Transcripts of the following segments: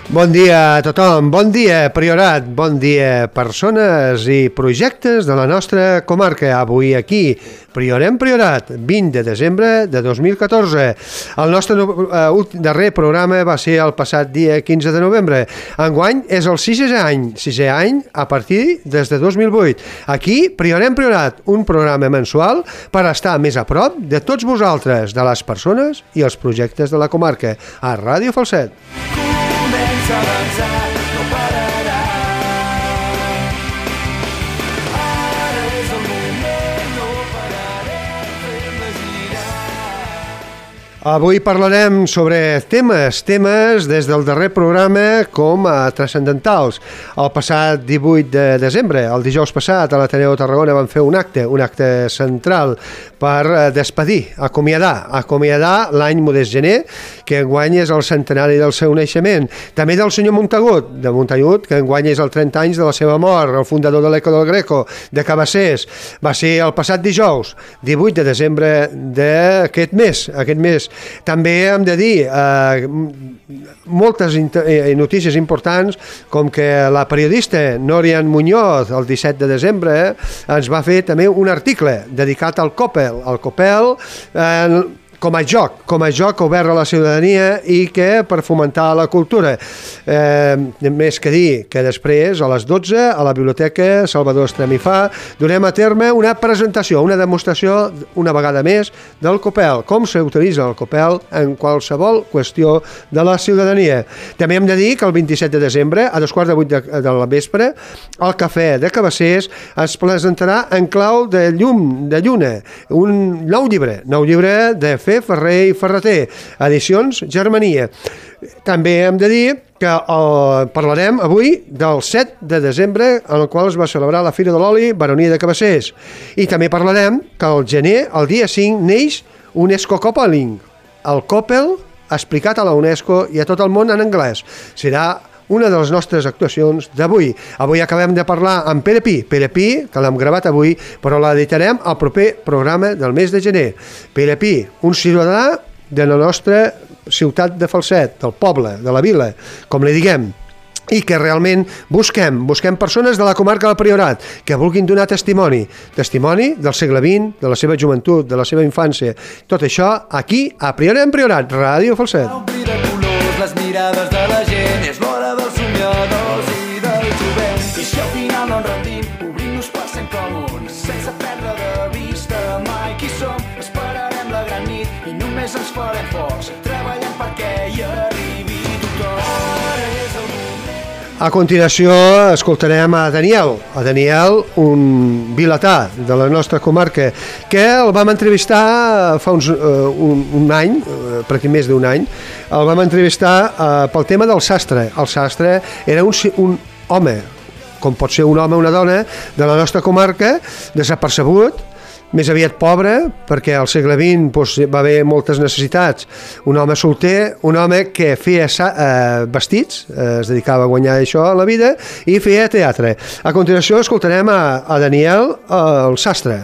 Bon dia a tothom, bon dia Priorat, bon dia persones i projectes de la nostra comarca. Avui aquí, Priorem Priorat, 20 de desembre de 2014. El nostre darrer programa va ser el passat dia 15 de novembre. Enguany és el sisè any a partir des de 2008. Aquí, Priorem Priorat, un programa mensual per estar més a prop de tots vosaltres, de les persones i els projectes de la comarca, a Ràdio Falset. Comença a avançar, no pararà. Ara és el moment, no pararem, fem-la girar. Avui parlarem sobre temes des del darrer programa com a transcendentals. El passat 18 de desembre, el dijous passat, a l'Ateneu de Tarragona van fer un acte central per despedir, acomiadar l'any Modest Gener, que enguany és el centenari del seu naixement. També del senyor Montagut, que enguany és el 30 anys de la seva mort, el fundador de l'Eco del Greco, de Cabassers. Va ser el passat dijous, 18 de desembre d'aquest mes. També hem de dir moltes notícies importants, com que la periodista Norian Muñoz, el 17 de desembre, ens va fer també un article dedicat al Coppel, com a joc obert a la ciutadania i que per fomentar la cultura. Més que dir que després, a les 12, a la Biblioteca Salvador Estremifà, durem a terme una presentació, una demostració, una vegada més, del Coppel, com s'utilitza el Coppel en qualsevol qüestió de la ciutadania. També hem de dir que el 27 de desembre, a 7:15 de la vespre, al Cafè de Cabassers es presentarà En clau de lluna, un nou llibre de Ferrer i Ferreter, edicions Germania. També hem de dir que parlarem avui del 7 de desembre, en el qual es va celebrar la Fira de l'Oli Baronia de Cabassers. I també parlarem que al gener, el dia 5, neix UNESCO Coppeling, el Coppel explicat a la UNESCO i a tot el món en anglès. Serà una de les nostres actuacions d'avui. Avui acabem de parlar amb Pere Pi, que l'hem gravat avui, però l'editarem al proper programa del mes de gener. Pere Pi, un ciutadà de la nostra ciutat de Falset, del poble, de la vila, com li diguem, i que realment busquem persones de la comarca del Priorat que vulguin donar testimoni del segle XX, de la seva joventut, de la seva infància. Tot això aquí a Priorem Priorat, Ràdio Falset. Les mirades de la gent, és l'hora dels somiadors i del jovent. I si al final no ens rendim, obrim-nos per ser comuns, sense perdre de vista mai qui som. Esperarem la gran nit i només ens farem forts, treballant perquè hi arribi tothom. Ara és el moment. A continuació escoltarem a Daniel, un vilatà de la nostra comarca, que el vam entrevistar fa un any, pràcticament més d'un any. El vam entrevistar pel tema del sastre. El sastre era un home, com pot ser un home o una dona, de la nostra comarca, desapercebut, més aviat pobre, perquè al segle XX va haver moltes necessitats. Un home solter, un home que feia vestits, es dedicava a guanyar això a la vida, i feia teatre. A continuació escoltarem a Daniel, el sastre.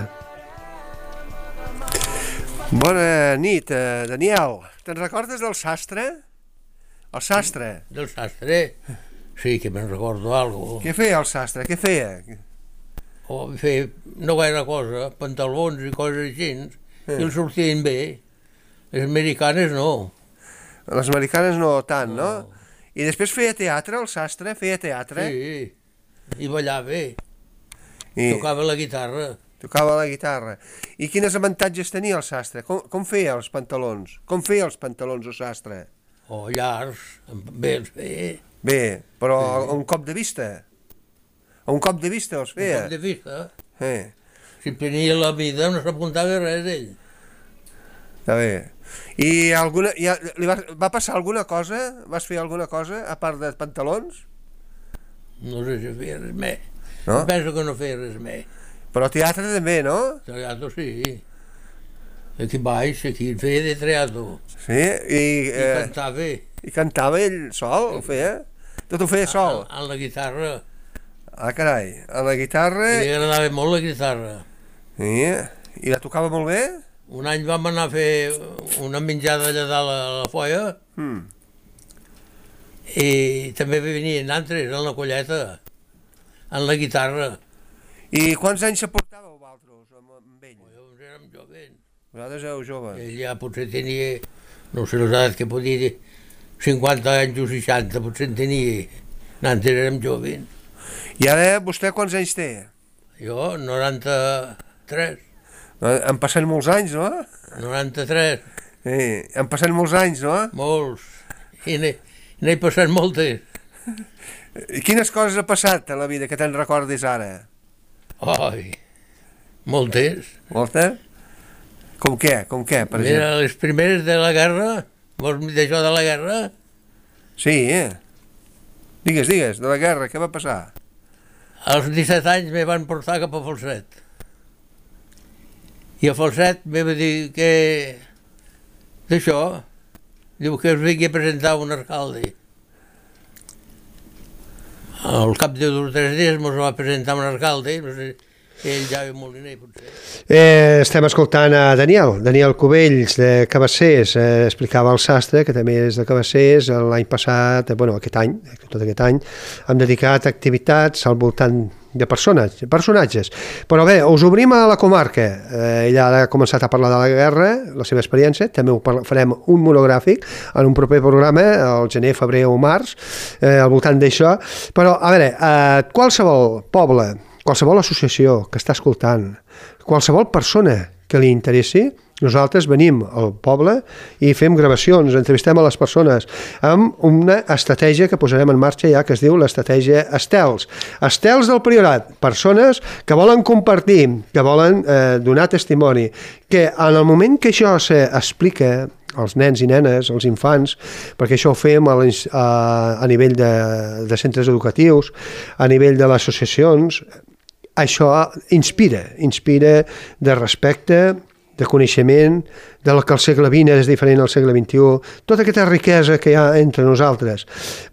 Bona nit, Daniel. Te'n recordes del sastre? El sastre? Del sastre? Sí, que me'n recordo algo. Què feia el sastre? Què feia? Feia no gaire cosa, pantalons i coses així, i els sortien bé. Les americanes no. Les americanes no tant, no? I després feia teatre, el sastre? Feia teatre? Sí, i ballava. Tocava la guitarra. I quins avantatges tenia el sastre? Com feia els pantalons? Com feia els pantalons el sastre? Llargs, bé els feia. Bé, però a un cop de vista? A un cop de vista els feia? Un cop de vista? Si tenia la vida no s'apuntava res d'ell. Està bé. I li va passar alguna cosa? Vas fer alguna cosa a part de pantalons? No sé si feia res més. Penso que no feia res més. Però teatre també, no? Teatre sí. Aquí baix, aquí feia de teatre. Sí? I cantava. I cantava ell sol, ho feia? Tot ho feia sol? En la guitarra. Ah, carai, en la guitarra... Li agradava molt la guitarra. I la tocava molt bé? Un any vam anar a fer una menjada allà dalt a la folla I també venien altres en la colleta, en la guitarra. I quants anys se portàveu vosaltres amb ell? Llavors érem joves. Vosaltres éreu joves. Ell ja potser tenia, no sé l'edat que podia dir, 50 anys o 60, potser en tenia. Nosaltres érem joves. I ara vostè quants anys té? Jo, 93. Han passat molts anys, no? 93. Han passat molts anys, no? Molts. I n'he passat moltes. Quines coses ha passat a la vida que te'n recordis ara? Ai, moltes. Moltes? Com què, per exemple? Mira, les primeres de la guerra, vols dir d'això de la guerra? Sí, Digues, de la guerra, què va passar? Als 17 anys me van portar cap a Falset. I a Falset me va dir que... d'això, diu que us vingui a presentar un alcalde. Al cap de 2 o 3 dies mos va presentar un alcalde, no sé, ell ja ve moliner, potser. Estem escoltant a Daniel Cubells, de Cabassers, explicava el sastre, que també és de Cabassers, l'any passat, aquest any, tot aquest any, hem dedicat activitats al voltant de personatges. Però bé, us obrim a la comarca. Ell ara ha començat a parlar de la guerra, la seva experiència, també farem un monogràfic en un proper programa, al gener, febrer o març, al voltant d'això. Però, a veure, qualsevol poble, qualsevol associació que està escoltant, qualsevol persona que li interessi, nosaltres venim al poble i fem gravacions, entrevistem a les persones amb una estratègia que posarem en marxa ja, que es diu l'estratègia Estels. Estels del Priorat, persones que volen compartir, que volen donar testimoni, que en el moment que això s'explica als nens i nenes, als infants, perquè això ho fem a nivell de centres educatius, a nivell de les associacions, això inspira de respecte, de coneixement, del que el segle XX és diferent al segle XXI, tota aquesta riquesa que hi ha entre nosaltres.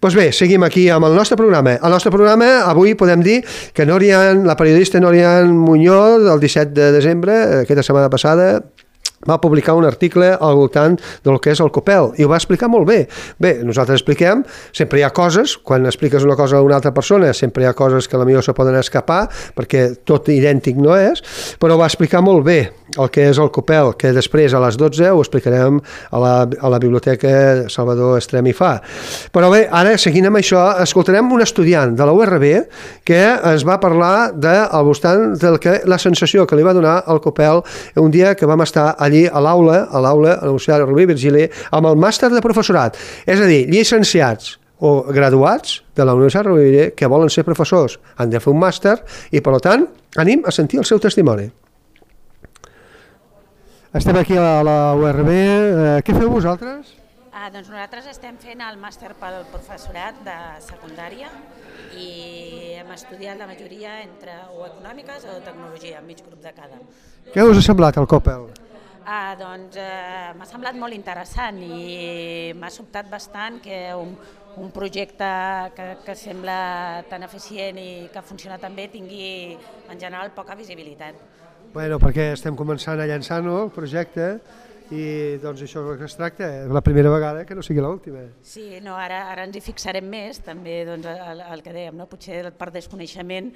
Doncs bé, seguim aquí amb el nostre programa. El nostre programa, avui podem dir que la periodista Norian Muñoz, el 17 de desembre, aquesta setmana passada, va publicar un article al voltant del que és el Copel, i ho va explicar molt bé. Bé, nosaltres expliquem, sempre hi ha coses, quan expliques una cosa a una altra persona, sempre hi ha coses que potser se poden escapar, perquè tot idèntic no és, però va explicar molt bé el que és el Copel, que després a les 12 ho explicarem a la Biblioteca Salvador Estrem i Fa. Però bé, ara, seguint amb això, escoltarem un estudiant de la URB que ens va parlar al voltant de la sensació que li va donar el Copel un dia que vam estar allí a l'aula, a la Universitat Rovira i Virgili, amb el màster de professorat, és a dir, llicenciats o graduats de la Universitat Rovira i Virgili que volen ser professors, han de fer un màster i, per tant, anem a sentir el seu testimoni. Estem aquí a la URB. Què feu vosaltres? Doncs nosaltres estem fent el màster pel professorat de secundària i hem estudiat la majoria entre o econòmiques o tecnologia, mig grup de cada. Què us ha semblat el Copel? Doncs m'ha semblat molt interessant i m'ha sobtat bastant que un projecte que sembla tan eficient i que funciona tan bé tingui en general poca visibilitat. Bueno, perquè estem començant a llançar el projecte i doncs això és el que es tracta, és la primera vegada que no sigui l'última. Sí, no, ara ens hi fixarem més, també doncs, el que dèiem, no? Potser per desconeixement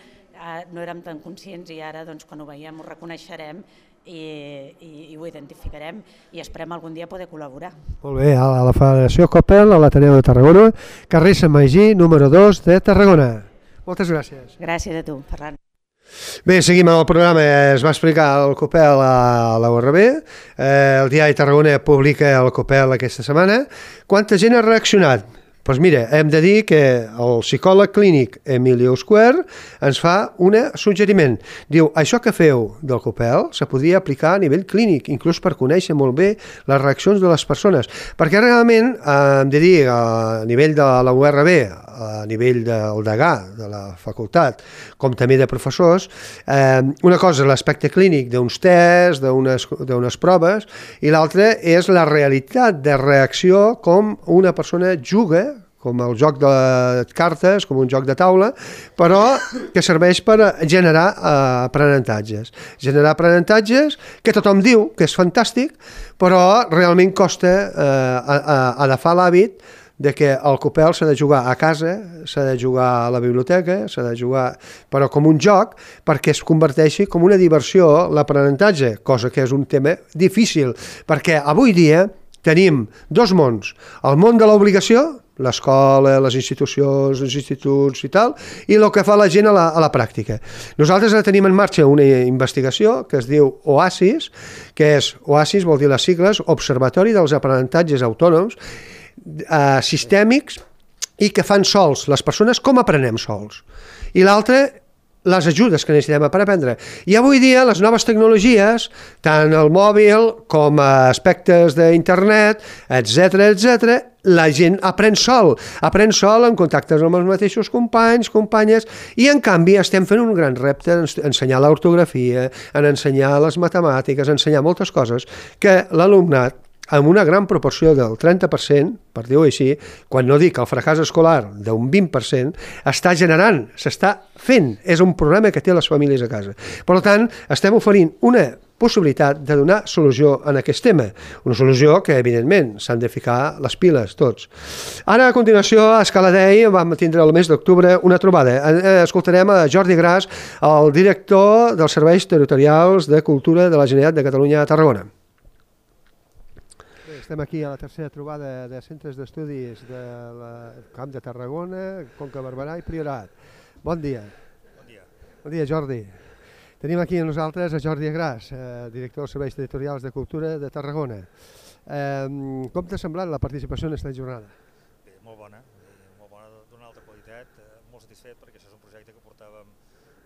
no érem tan conscients i ara doncs, quan ho veiem ho reconeixerem i ho identificarem i esperem algun dia poder col·laborar. Molt bé, a la Federació Copel, a l'Ateneu de Tarragona, carrer Sant Magí, número 2 de Tarragona. Moltes gràcies. Gràcies a tu, Ferran. Bé, seguim amb el programa. Es va explicar el Copel a la URB, el diari Tarragona publica el Copel aquesta setmana. Quanta gent ha reaccionat? Doncs mira, hem de dir que el psicòleg clínic Emili Euskwer ens fa un suggeriment. Diu, això que feu del Copel se podria aplicar a nivell clínic, inclús per conèixer molt bé les reaccions de les persones. Perquè realment, hem de dir, a nivell de la URB, a nivell del degà de la facultat, com també de professors, una cosa és l'aspecte clínic d'uns tests, d'unes proves, i l'altra és la realitat de reacció com una persona juga, com el joc de cartes, com un joc de taula, però que serveix per generar aprenentatges. Generar aprenentatges que tothom diu que és fantàstic, però realment costa agafar l'hàbit de que el copel s'ha de jugar a casa, s'ha de jugar a la biblioteca, s'ha de jugar, però com un joc, perquè es converteixi com una diversió l'aprenentatge, cosa que és un tema difícil, perquè avui dia tenim dos mons, el món de l'obligació, l'escola, les institucions, els instituts i tal, i el que fa la gent a la pràctica. Nosaltres ara tenim en marxa una investigació que es diu OASIS, que és, OASIS vol dir les sigles, Observatori dels Aprenentatges Autònoms, sistèmics, i que fan sols les persones com aprenem sols. I l'altre, les ajudes que necessitem per aprendre. I avui dia les noves tecnologies, tant el mòbil com aspectes d'internet, etc, la gent aprèn sol en contactes amb els mateixos companys, companyes, i en canvi estem fent un gran repte en ensenyar l'ortografia, en ensenyar les matemàtiques, ensenyar moltes coses que l'alumnat, amb una gran proporció del 30%, per dir-ho així, quan no dic el fracàs escolar d'un 20%, està generant, s'està fent, és un problema que té les famílies a casa. Per tant, estem oferint una possibilitat de donar solució en aquest tema, una solució que, evidentment, s'han de ficar les piles tots. Ara, a continuació, a Escaladei vam tindre el mes d'octubre una trobada. Escoltarem a Jordi Gras, el director dels Serveis Territorials de Cultura de la Generalitat de Catalunya a Tarragona. Estem aquí a la tercera trobada de centres d'estudis del Camp de Tarragona, Conca Barberà i Priorat. Bon dia. Bon dia. Bon dia, Jordi. Tenim aquí amb nosaltres a Jordi Gras, director dels Serveis Territorials de Cultura de Tarragona. Com t'ha semblat la participació en aquesta jornada? Bé, molt bona d'una alta qualitat, molt satisfet perquè això és un projecte que portàvem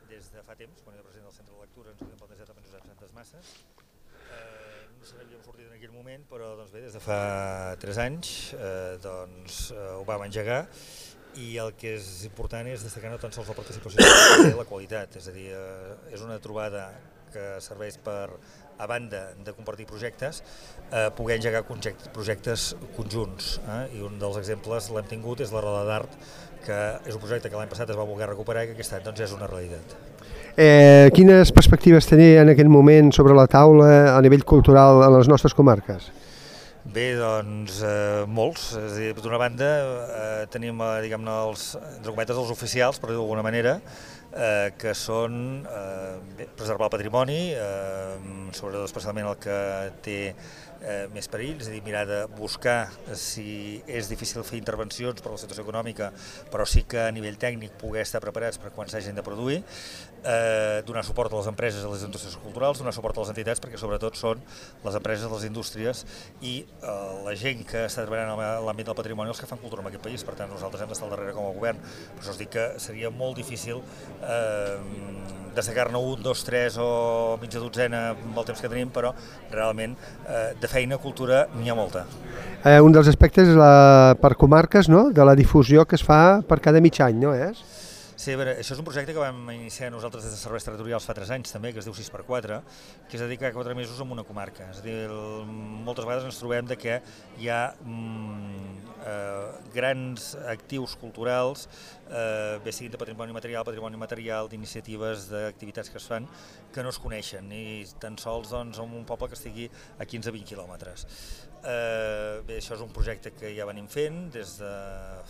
des de fa temps, quan era president del Centre de Lectura, ens havíem plantejat amb Josep Santes Masses. No se n'havíem sortit en aquell moment, però doncs bé, des de fa 3 anys ho vam engegar, i el que és important és destacar no tan sols la participació sinó la qualitat, és a dir, és una trobada que serveix per, a banda de compartir projectes, poder engegar projectes conjunts, i un dels exemples l'hem tingut és la Roda d'Art, que és un projecte que l'any passat es va voler recuperar i que aquest any doncs, és una realitat. Quines perspectives tenia en aquell moment sobre la taula a nivell cultural a les nostres comarques? Bé, doncs molts. És a dir, d'una banda tenim, diguem-ne, entre cometes, els oficials, per dir-ho d'alguna manera, que són preservar el patrimoni, sobretot especialment el que té més perill, és a dir, mirar de buscar si és difícil fer intervencions per la situació econòmica, però sí que a nivell tècnic poder estar preparats per quan s'hagin de produir, donar suport a les empreses, a les indústries culturals, donar suport a les entitats, perquè sobretot són les empreses, les indústries i la gent que està treballant en l'àmbit del patrimoni els que fan cultura en aquest país. Per tant, nosaltres hem d'estar al darrere com a govern. Per això us dic que seria molt difícil destacar-ne 1, 2, 3 o mitja dotzena amb el temps que tenim, però realment de feina, cultura, n'hi ha molta. Un dels aspectes és per comarques, no?, de la difusió que es fa per cada mig any, no és? Sí, a veure, això és un projecte que vam iniciar nosaltres des de Serveis Territorials fa 3 anys també, que es diu 6x4, que és dedicar 4 mesos a una comarca. És a dir, moltes vegades ens trobem que hi ha grans actius culturals, bé siguin de patrimoni material, d'iniciatives, d'activitats que es fan, que no es coneixen, ni tan sols doncs, en un poble que estigui a 15-20 quilòmetres. Bé, això és un projecte que ja venim fent des de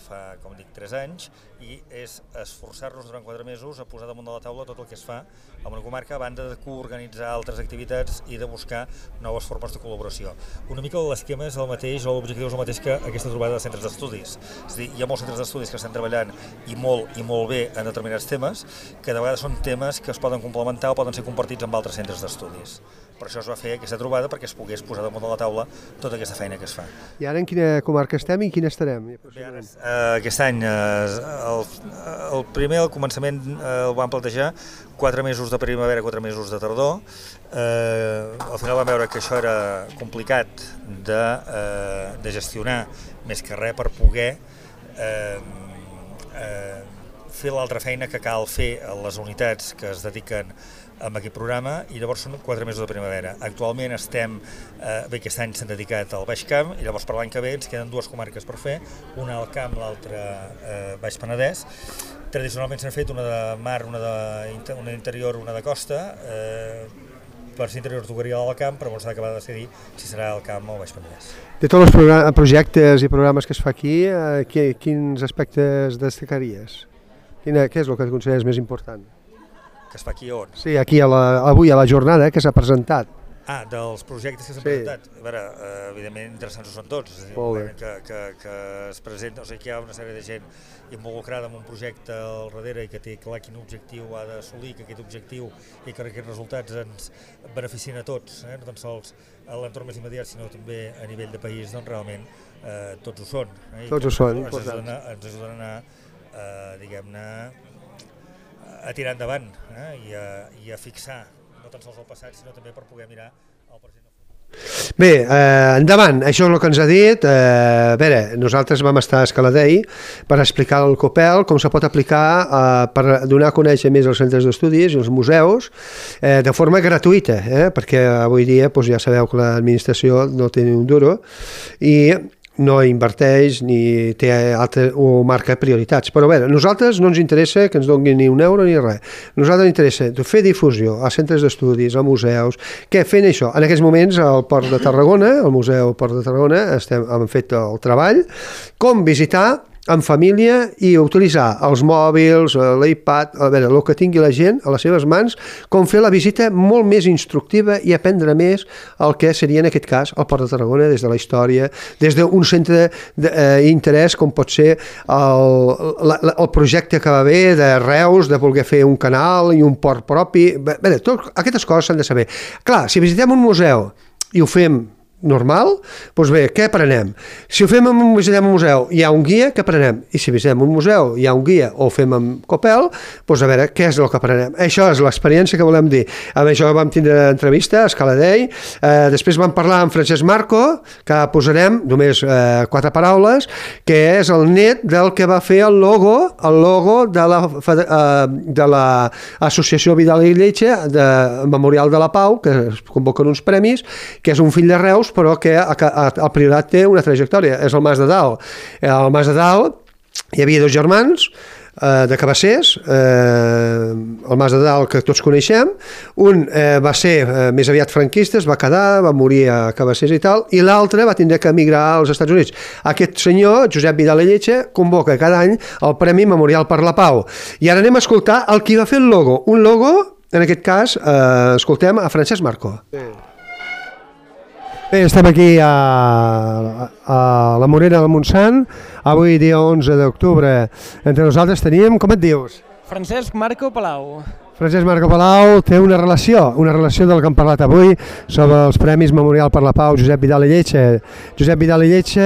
fa, com dic, 3 anys, i és esforçar-nos durant 4 mesos a posar damunt de la taula tot el que es fa en una comarca, a banda de coorganitzar altres activitats i de buscar noves formes de col·laboració. Una mica l'esquema és el mateix, o l'objectiu és el mateix que aquesta trobada de centres d'estudis. És a dir, hi ha molts centres d'estudis que estan treballant i molt bé en determinats temes, que de vegades són temes que es poden complementar o poden ser compartits amb altres centres d'estudis. Per això es va fer aquesta trobada, perquè es pogués posar damunt de la taula tota aquesta feina que es fa. I ara en quina comarca estem i en quina estarem? Bé, aquest any, el primer, al començament, el vam plantejar 4 mesos de primavera, 4 mesos de tardor. Al final vam veure que això era complicat de gestionar, més que res per poder fer l'altra feina que cal fer a les unitats que es dediquen a aquest programa, i llavors són 4 mesos de primavera. Actualment estem, bé, aquest any s'han dedicat al Baix Camp, i llavors per l'any que ve ens queden 2 comarques per fer, una al Camp, l'altra Baix Penedès. Tradicionalment s'han fet una de mar, una d'interior, una de costa, per ser interior tocaria al camp, però s'ha d'acabar de decidir si serà al camp o al Baix Penedès. De tots els projectes i programes que es fa aquí, quins aspectes destacaries? Què és el que consideres més important? Que es fa aquí on? Sí, aquí avui a la jornada que s'ha presentat. Dels projectes que s'han presentat. A veure, evidentment interessants ho són tots, és a dir, que es presenta, o sigui que hi ha una sèrie de gent involucrada en un projecte al darrere i que té clar quin objectiu ha d'assolir, que aquest objectiu i que aquests resultats ens beneficien a tots, no tan sols a l'entorn més immediat, sinó també a nivell de país, doncs realment tots ho són. Tots ho són, ens ajuden a anar, diguem-ne, a tirar endavant i a fixar no tan sols el passat, sinó també per poder mirar el present. Bé, endavant, això és el que ens ha dit. A veure, nosaltres vam estar a Escaladei per explicar el COPEL, com se pot aplicar per donar a conèixer més els centres d'estudis i els museus de forma gratuïta, perquè avui dia ja sabeu que l'administració no té ni un duro i no inverteix ni té o marca prioritats. Però bé, a nosaltres no ens interessa que ens donin ni un euro ni res. A nosaltres ens interessa fer difusió a centres d'estudis, a museus. Què? Fent això. En aquests moments al Port de Tarragona, al Museu Port de Tarragona, hem fet el treball com visitar en família i utilitzar els mòbils, l'iPad, a veure, el que tingui la gent a les seves mans, com fer la visita molt més instructiva i aprendre més el que seria en aquest cas el Port de Tarragona des de la història, des d'un centre d'interès com pot ser el projecte que va haver de Reus, de voler fer un canal i un port propi. Bé, totes aquestes coses s'han de saber. Clar, si visitem un museu i ho fem normal, doncs bé, què aprenem? Si ho fem visitem un museu, hi ha un guia, què aprenem? I si visitem un museu, hi ha un guia o ho fem amb COPEL, doncs a veure, què és el que aprenem? Això és l'experiència que volem dir. Amb això vam tindre entrevista a Escaladei, després vam parlar amb Francesc Marco, que posarem només 4 paraules, que és el net del que va fer el logo de l'Associació Vidal i Lletja de Memorial de la Pau, que es convoquen uns premis, que és un fill de Reus, però que el Priorat té una trajectòria, és el Mas de Dalt. Al Mas de Dalt hi havia 2 germans de Cabassers, el Mas de Dalt que tots coneixem, un va ser més aviat franquista, es va quedar, va morir a Cabassers i tal, i l'altre va tindre que emigrar als Estats Units. Aquest senyor, Josep Vidal i Lletja, convoca cada any el Premi Memorial per la Pau. I ara anem a escoltar el qui va fer el logo. Un logo, en aquest cas, escoltem a Francesc Marco. Bé, estem aquí a la Morera del Montsant, avui dia 11 d'octubre. Entre nosaltres teníem, com et dius? Francesc Marco Palau. Francesc Marco Palau té una relació del que hem parlat avui sobre els Premis Memorial per la Pau Josep Vidal i Lletja. Josep Vidal i Lletja,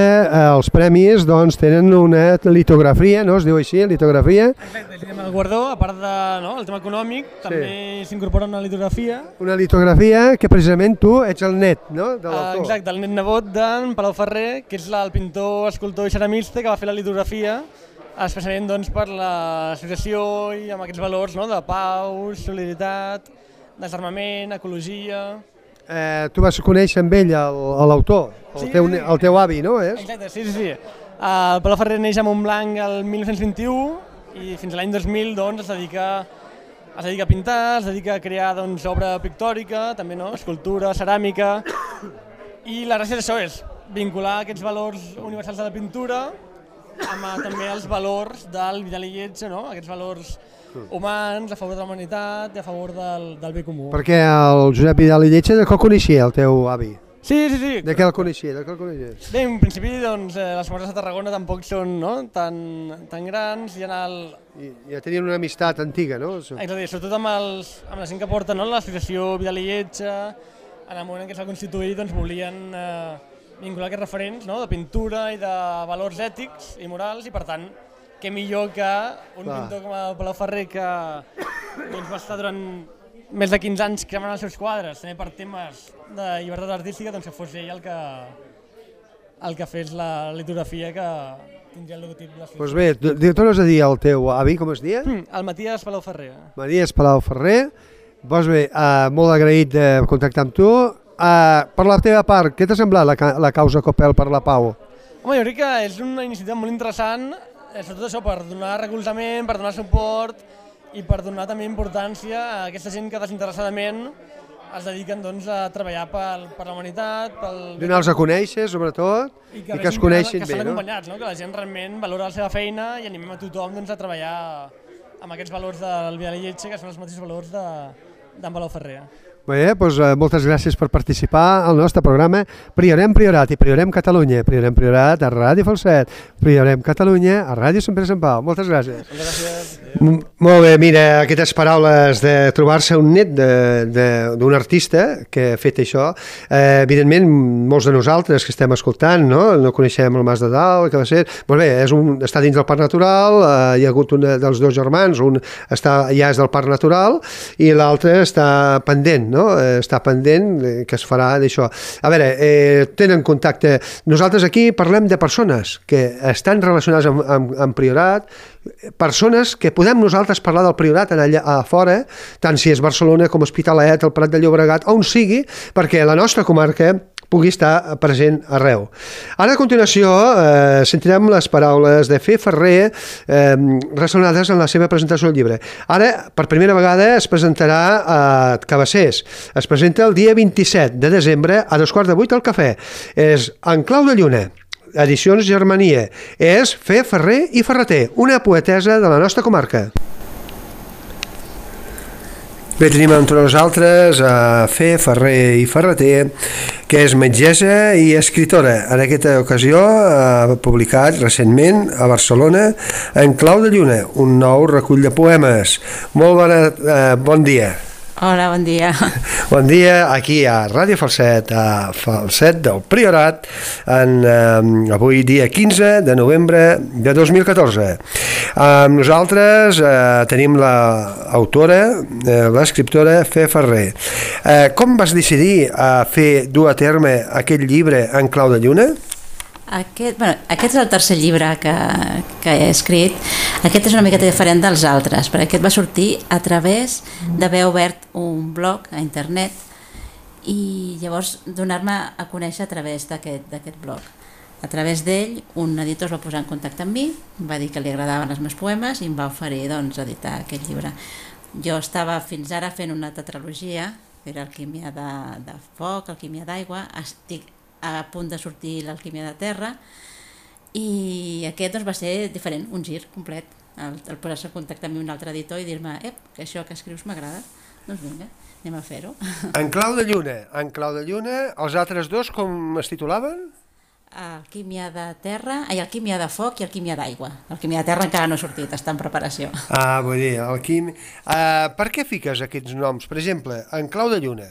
els premis doncs, tenen una litografia, no? Es diu així, litografia? Exacte, el tema del guardó, a part del tema econòmic, també s'incorpora una litografia. Una litografia que precisament tu ets el net, no? De l'autor. Exacte, el net nebot d'en Palau Ferrer, que és el pintor, escultor i ceramista que va fer la litografia especialment doncs, per l'associació i amb aquests valors de pau, solidaritat, desarmament, ecologia... Tu vas conèixer amb ell l'autor, el teu avi, no? Exacte, sí. El Palau Ferrer neix a Montblanc el 1921 i fins a l'any 2000 es dedica a pintar, es dedica a crear obra pictòrica, també escultura, ceràmica, i la gràcia d'això és vincular aquests valors universals de la pintura amb també els valors del Vidal i Lletja, aquests valors humans a favor de la humanitat i a favor del bé comú. Perquè el Josep Vidal i Lletja de què el coneixia el teu avi? Sí. De què el coneixia? Bé, en principi les famoses de Tarragona tampoc són tan grans. Ja tenien una amistat antiga, no? Exacte, sobretot amb la gent que porta l'associació Vidal i Lletja, en el moment en què s'ha constituït volien vincular aquests referents de pintura i de valors ètics i morals, i per tant, què millor que un pintor com el Palau Ferrer que va estar durant més de 15 anys cremant els seus quadres, també per temes de llibertat artística, que fos ell el que fes la litografia que tindria el logotip de l'associació. Doncs bé, tornes a dir al teu avi, com es deia? El Matías Palau Ferrer. Matías Palau Ferrer. Doncs bé, molt agraït de contactar amb tu. Per la teva part, què t'ha semblat la causa COPEL per la Pau? Home, jo crec que és una iniciativa molt interessant, sobretot això per donar recolzament, per donar suport i per donar també importància a aquesta gent que desinteressadament es dediquen a treballar per la humanitat, donar-los a conèixer, sobretot, i que es coneixin bé. Que estan acompanyats, que la gent realment valora la seva feina i animem a tothom a treballar amb aquests valors del Vidal i Lletja, que són els mateixos valors d'en Palau Ferrer. Bé, doncs moltes gràcies per participar al nostre programa Priorem Priorat i Priorem Catalunya. Priorem Priorat a Ràdio Falset, Priorem Catalunya a Ràdio Sant Pere Sant Pau. Moltes gràcies. Moltes gràcies. Molt bé, mira, aquestes paraules de trobar-se un net d'un artista que ha fet això, evidentment molts de nosaltres que estem escoltant no coneixem el Mas de Dalt, que va ser, molt bé, està dins del Parc Natural, hi ha hagut un dels dos germans, un ja és del Parc Natural i l'altre està pendent, està pendent que es farà d'això. A veure, tenen contacte. Nosaltres aquí parlem de persones que estan relacionades amb Priorat, persones que podem nosaltres parlar del Priorat allà a fora, tant si és Barcelona com Hospitalet, el Prat de Llobregat, on sigui, perquè la nostra comarca pugui estar present arreu. Ara, a continuació, sentirem les paraules de Fer Ferrer relacionades amb la seva presentació del llibre. Ara, per primera vegada, es presentarà a Cabassers. Es presenta el dia 27 de desembre a 7:15 al Cafè. És En clau de lluna, Edicions Germania. És Fer Ferrer i Ferreter, una poetessa de la nostra comarca. Bé, tenim entre nosaltres a Fer Ferrer i Ferreter, que és metgessa i escritora. En aquesta ocasió ha publicat recentment a Barcelona En clau de lluna, un nou recull de poemes. Bon dia. Hola, bon dia. Bon dia, aquí a Ràdio Falset, a Falset del Priorat, avui dia 15 de novembre de 2014. Amb nosaltres tenim l'autora, l'escriptora Fer Ferrer. Com vas decidir a dur a terme aquest llibre En clau de lluna? Aquest és el tercer llibre que he escrit. Aquest és una miqueta diferent dels altres, perquè aquest va sortir a través d'haver obert un blog a internet i llavors donar-me a conèixer a través d'aquest blog. A través d'ell, un editor es va posar en contacte amb mi, va dir que li agradaven els meus poemes i em va oferir editar aquest llibre. Jo estava fins ara fent una tetralogia, que era Alquímia de foc, Alquímia d'aigua, estic a punt de sortir l'Alquímia de terra i aquest va ser diferent, un gir complet, el posar-se en contacte amb un altre editor i dir-me que això que escrius m'agrada, doncs vinga, anem a fer-ho. En clau de lluna, els altres dos com es titulaven? Alquímia de terra, Alquímia de foc i Alquímia d'aigua. L'Alquímia de terra encara no ha sortit, està en preparació. Vull dir, Alquímia... Per què fiques aquests noms? Per exemple, En clau de lluna.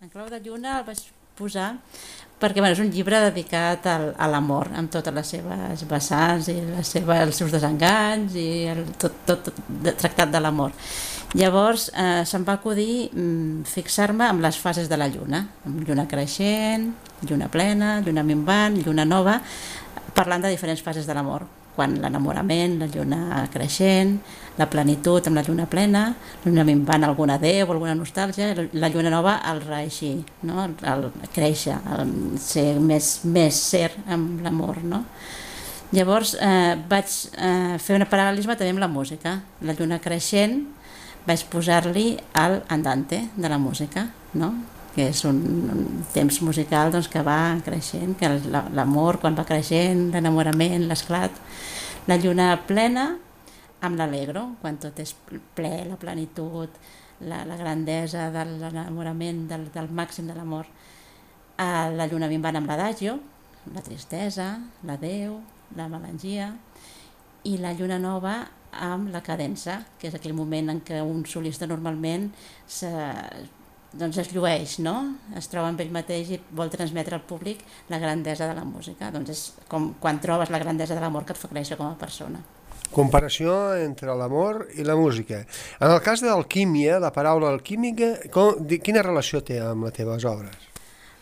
En clau de lluna el vaig posar perquè és un llibre dedicat a l'amor, amb totes les seves vessants i els seus desenganys i tot tractat de l'amor. Llavors se'm va acudir fixar-me amb les fases de la lluna, amb lluna creixent, lluna plena, lluna minvant, lluna nova, parlant de diferents fases de l'amor, quan l'enamorament, la lluna creixent, la plenitud amb la lluna plena, la lluna minvant alguna adeu, alguna nostàlgia, la lluna nova el reeixir, el créixer, el ser més ser amb l'amor. Llavors vaig fer un paral·lelisme també amb la música. La lluna creixent vaig posar-li el andante de la música, que és un temps musical que va creixent, que l'amor quan va creixent, l'enamorament, l'esclat. La lluna plena amb l'alegro, quan tot és ple, la plenitud, la grandesa de l'enamorament, del màxim de l'amor. La lluna minvant amb l'adagio, la tristesa, l'adeu, la melangia, i la lluna nova amb la cadença, que és aquell moment en què un solista normalment es llueix, es troba amb ell mateix i vol transmetre al públic la grandesa de la música. Doncs és com quan trobes la grandesa de l'amor que et fa créixer com a persona. Comparació entre l'amor i la música. En el cas de l'alquímia, la paraula alquímica, quina relació té amb les teves obres?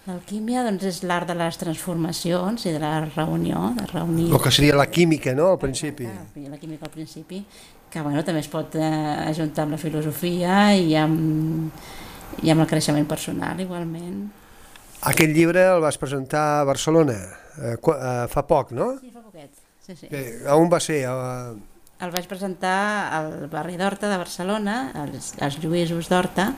L'alquímia és l'art de les transformacions i de la reunió, de reunir... El que seria la química, al principi. La química al principi, que també es pot ajuntar amb la filosofia i amb el creixement personal, igualment. Aquest llibre el vas presentar a Barcelona fa poc, no? Sí, fa poquet. Sí. On va ser? El vaig presentar al barri d'Horta de Barcelona, als Lluïsos d'Horta,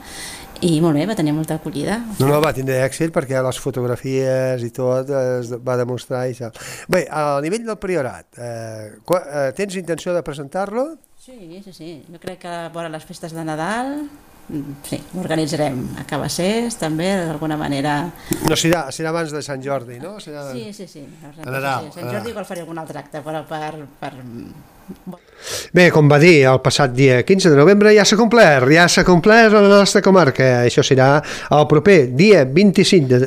i molt bé, va tenir molta acollida. No, va tindre èxit perquè les fotografies i tot es va demostrar i tal. Bé, a nivell del Priorat, tens intenció de presentar-lo? Sí. Jo crec que vora les festes de Nadal, sí, organitzarem a Cabassers també, d'alguna manera. No, serà abans de Sant Jordi, no? Sí. A Nadal. Sant Jordi igual faré algun altre acte, però per... Bé, com va dir, el passat dia 15 de novembre ja s'ha complert a la nostra comarca. Això serà el proper dia 27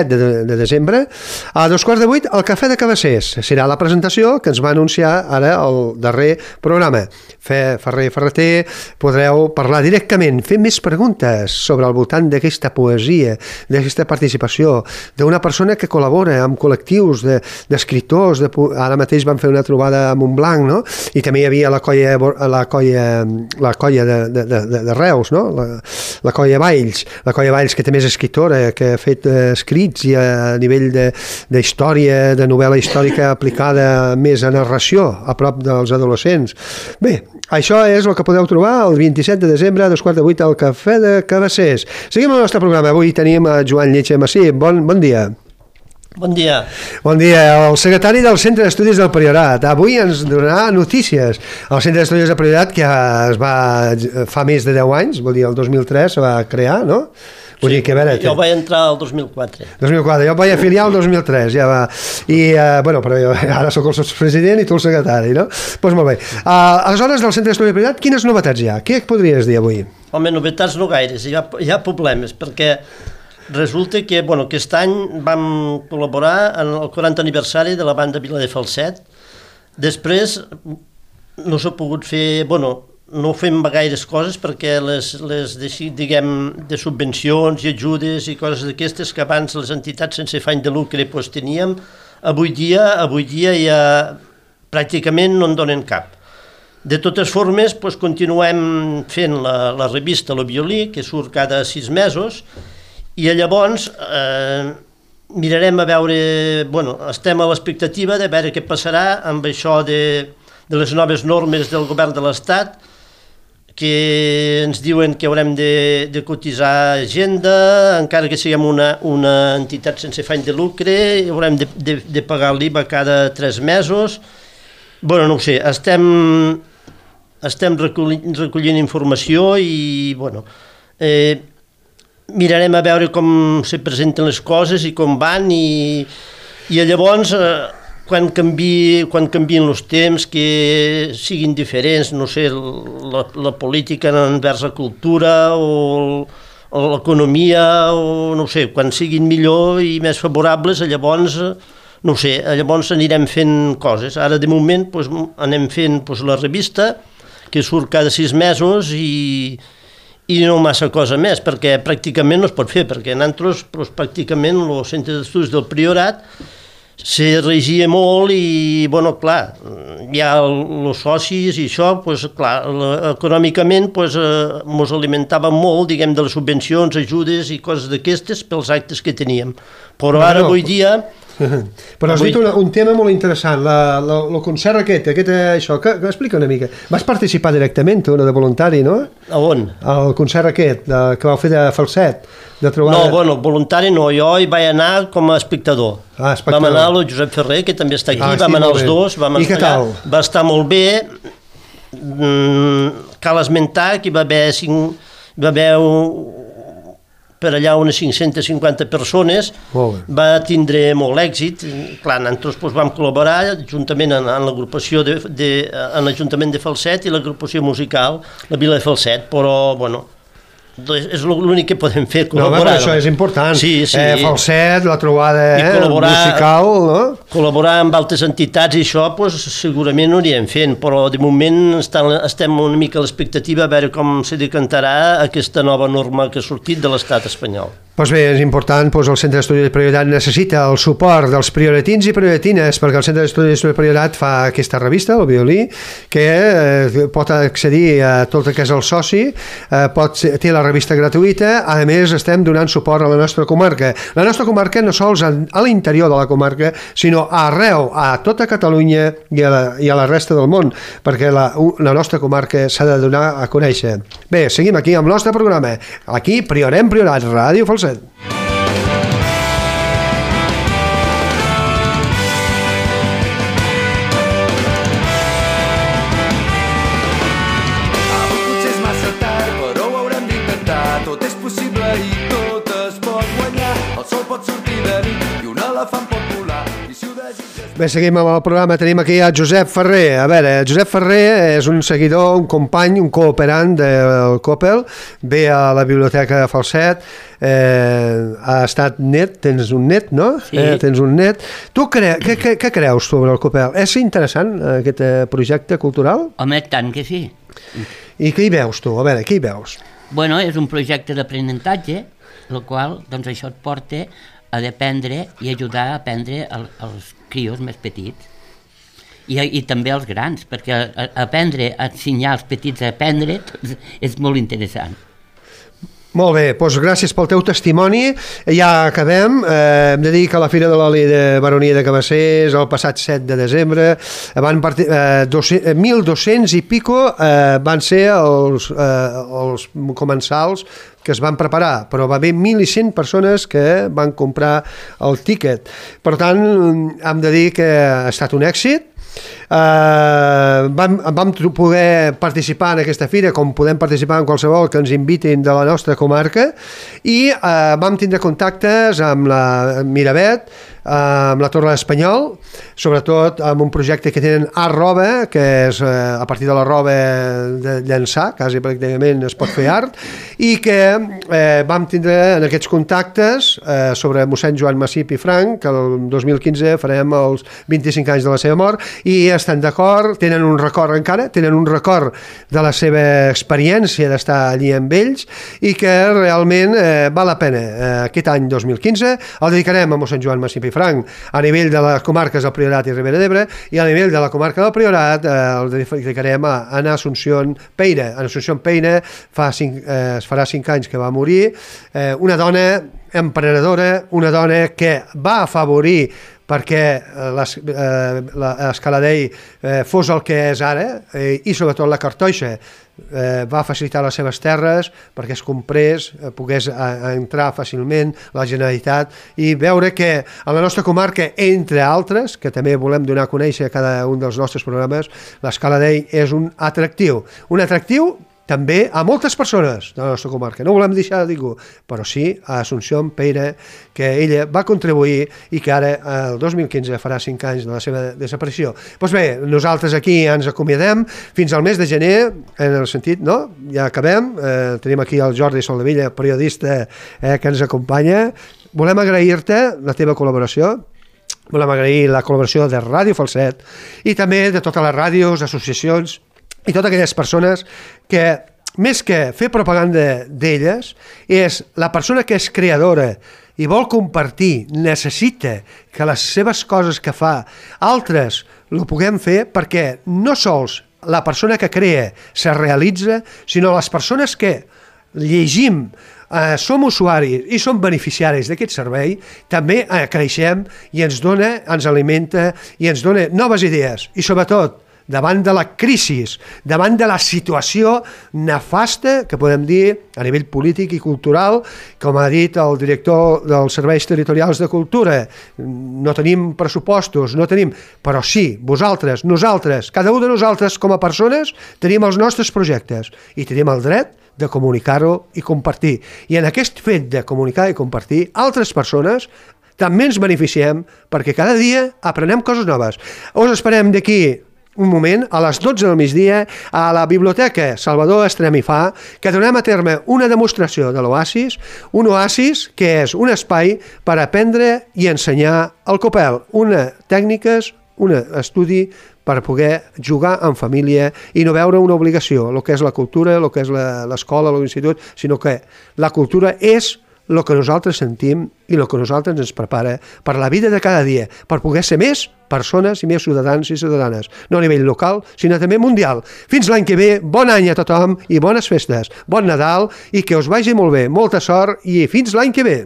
de desembre a 7:15 al Cafè de Cabassers. Serà la presentació que ens va anunciar ara el darrer programa. Ferrer i Ferreter podreu parlar directament, fer més preguntes sobre el voltant d'aquesta poesia, d'aquesta participació, d'una persona que col·labora amb col·lectius d'escriptors. Ara mateix van fer una trobada a Montblanc, no? I també hi havia la colla de Reus, no? La colla Valls, que també és escriptora, que ha fet escrits i a nivell d'història, de novel·la històrica aplicada més a narració, a prop dels adolescents. Bé, això és el que podeu trobar el 27 de desembre a 7:15 al Cafè de Cabassers. Seguim el nostre programa. Avui tenim a Joan Lletja Massí. Bon dia. Bon dia. Bon dia. El secretari del Centre d'Estudis del Priorat. Avui ens donarà notícies. El Centre d'Estudis del Priorat, que fa més de 10 anys, vol dir el 2003 se va crear, no? Vull dir que, a veure, jo vaig entrar el 2004. 2004, jo vaig afiliar el 2003, ja va. I, bueno, però jo ara sóc el sotspresident i tu el secretari, no? Doncs molt bé. Aleshores, del Centre d'Estudis del Priorat, quines novetats hi ha? Què podries dir avui? Home, novetats no gaires, hi ha problemes, perquè resulta que aquest any vam col·laborar en el 40 aniversari de la banda Vila de Falset. Després no s'ha pogut fer, no fem gaires coses perquè les diguem, de subvencions i ajudes i coses d'aquestes que abans les entitats sense afany de lucre teníem, avui dia ja pràcticament no en donen cap. De totes formes, continuem fent la revista Lo Violí, que surt cada 6 mesos, i llavors mirarem a veure, estem a l'expectativa de veure què passarà amb això de les noves normes del govern de l'Estat, que ens diuen que haurem de cotitzar agenda, encara que siguem una entitat sense afany de lucre, haurem de pagar l'IVA cada 3 mesos. No ho sé, estem recollint informació i, mirarem a veure com se presenten les coses i com van i llavors quan canvien els temps que siguin diferents, no sé, la política envers la cultura o l'economia o no sé, quan siguin millor i més favorables llavors no sé, llavors anirem fent coses. Ara de moment anem fent la revista que surt cada 6 mesos i no massa cosa més, perquè pràcticament no es pot fer, perquè nosaltres pràcticament el Centre d'Estudis del Priorat se regia molt i, clar, hi ha els socis i això, clar, econòmicament ens alimentàvem molt, diguem, de les subvencions, ajudes i coses d'aquestes pels actes que teníem. Però ara, avui dia... Però has dit un tema molt interessant, el concert això, explica una mica. Vas participar directament, tu, de voluntari, no? A on? El concert que vau fer de Falset. No, voluntari no, jo hi vaig anar com a espectador. Vam anar el Josep Ferrer, que també està aquí, vam anar els dos. I què tal? Va estar molt bé. Cal esmentar que hi va haver per allà unes 550 persones, va tindre molt èxit. Clar, nosaltres vam col·laborar juntament en l'agrupació en l'Ajuntament de Falset i l'agrupació musical, la Vila de Falset, però, és l'únic que podem fer, col·laborar. No, això és important. Sí. Falset, la trobada musical, no? Col·laborar amb altres entitats i això, segurament ho anirem fent, però de moment estem una mica a l'expectativa a veure com se decantarà aquesta nova norma que ha sortit de l'estat espanyol. Doncs bé, és important, el Centre d'Estudis de Priorat necessita el suport dels prioratins i prioratines, perquè el Centre d'Estudis de Priorat fa aquesta revista, el Violí, que pot accedir a tot el que és el soci, té la revista gratuïta, a més estem donant suport a la nostra comarca. La nostra comarca no sols a l'interior de la comarca, sinó arreu, a tota Catalunya i a la resta del món, perquè la nostra comarca s'ha de donar a conèixer. Bé, seguim aquí amb el nostre programa. Aquí, Priorem Priorat, Ràdio Falset. Bé, seguim amb el programa. Tenim aquí a Josep Ferrer. A veure, Josep Ferrer és un seguidor, un company, un cooperant del Coppel. Ve a la biblioteca de Falset. Ha estat net, tens un net, no? Sí. Tens un net. Tu què creus sobre el Coppel? És interessant aquest projecte cultural? Home, tant que sí. I què hi veus tu? A veure, què hi veus? Bueno, és un projecte d'aprenentatge, el qual, doncs, això et porta a dependre i ajudar a aprendre els crios més petits i també els grans, perquè aprendre, ensenyar als petits a aprendre és molt interessant. Molt bé, doncs gràcies pel teu testimoni. Ja acabem. Hem de dir que la Fira de l'Oli de Baronia de Cabassers el passat 7 de desembre van 1.200 i pico van ser els comensals que es van preparar, però va haver 1.100 persones que van comprar el tíquet. Per tant, hem de dir que ha estat un èxit. Vam poder participar en aquesta fira com podem participar en qualsevol que ens invitin de la nostra comarca i vam tindre contactes amb la Miravet, amb la Torre d'Espanyol, sobretot amb un projecte que tenen Art Roba, que és a partir de la roba de llançar, quasi pràcticament es pot fer art, i que vam tindre en aquests contactes sobre mossèn Joan Massip i Frank, que el 2015 farem els 25 anys de la seva mort, i estan d'acord, tenen un record encara, tenen un record de la seva experiència d'estar allí amb ells, i que realment val la pena. Aquest any 2015 el dedicarem a mossèn Joan Massip i Frank a nivell de les comarques del Priorat i Ribera d'Ebre, i a nivell de la comarca del Priorat el dedicarem a Ana Asunción Peire. Ana Asunción Peire es farà 5 anys que va morir, una dona emprenedora, una dona que va afavorir perquè l'Escaladei fos el que és ara, i sobretot la Cartoixa va facilitar les seves terres perquè es comprés, pogués entrar fàcilment la Generalitat, i veure que a la nostra comarca, entre altres, que també volem donar a conèixer a cada un dels nostres programes, l'Escaladei és un atractiu també a moltes persones de la nostra comarca. No volem deixar de ningú, però sí a Asunción Peire, que ella va contribuir i que ara, el 2015, farà 5 anys de la seva desaparició. Doncs bé, nosaltres aquí ens acomiadem fins al mes de gener, en el sentit, no? Ja acabem. Tenim aquí el Jordi Soldevilla, periodista que ens acompanya. Volem agrair-te la teva col·laboració. Volem agrair la col·laboració de Ràdio Falset i també de totes les ràdios, associacions i totes aquelles persones que, més que fer propaganda d'elles, és la persona que és creadora i vol compartir, necessita que les seves coses que fa altres ho puguem fer, perquè no sols la persona que crea se realitza, sinó les persones que llegim, som usuaris i som beneficiaris d'aquest servei, també creixem i ens dona, ens alimenta i ens dona noves idees, i sobretot davant de la crisi, davant de la situació nefasta que podem dir a nivell polític i cultural, com ha dit el director dels Serveis Territorials de Cultura, no tenim pressupostos, no tenim, però sí, vosaltres, nosaltres, cada un de nosaltres com a persones tenim els nostres projectes i tenim el dret de comunicar-ho i compartir. I en aquest fet de comunicar i compartir, altres persones també ens beneficiem perquè cada dia aprenem coses noves. Us esperem d'aquí un moment, a les 12 del migdia, a la Biblioteca Salvador Estremifà, que donem a terme una demostració de l'Oasis, un oasis que és un espai per aprendre i ensenyar el Coppel, tècniques, un estudi per poder jugar en família i no veure una obligació, el que és la cultura, el que és l'escola, l'institut, sinó que la cultura és el que nosaltres sentim i el que nosaltres ens prepara per la vida de cada dia, per poder ser més persones i més ciutadans i ciutadanes, no a nivell local, sinó també mundial. Fins l'any que ve, bon any a tothom i bones festes, bon Nadal i que us vagi molt bé, molta sort i fins l'any que ve.